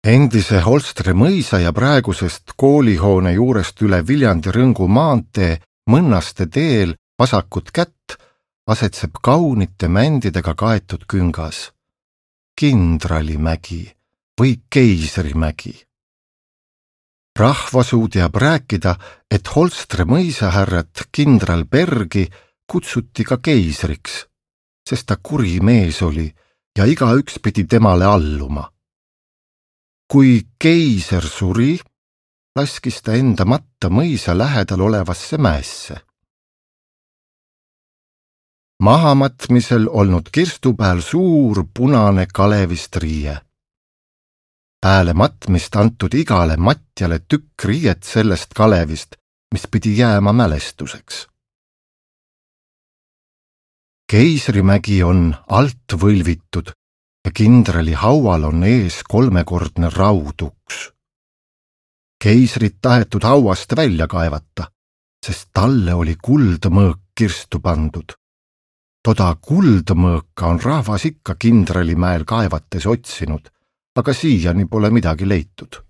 Endise Holstre mõisa ja praegusest koolihoone juurest üle Viljandi Rõngu maantee Mõnnaste teel vasakut kätt asetseb kaunite mändidega kaetud küngas. Kindralimägi või Keisrimägi. Rahvasuu teab rääkida, et Holstre mõisahärrat kindral Bergi kutsuti ka keisriks, sest ta kuri mees oli ja igaüks pidi temale alluma. Kui keiser suri, laskis ta enda matta mõisa lähedal olevasse mäesse. Mahamatmisel olnud kirstupääl suur punane kalevist riie. Pääle matmist antud igale matjale tükk riiet sellest kalevist, mis pidi jääma mälestuseks. Keisrimägi on alt võlvitud ja kindrali haual on ees kolmekordne rauduks. Keisrit tahetud hauast välja kaevata, sest talle oli kuldmõõk kirstu pandud. Toda kuldmõõka on rahvas ikka Kindralimäel kaevates otsinud, aga siiani pole midagi leitud.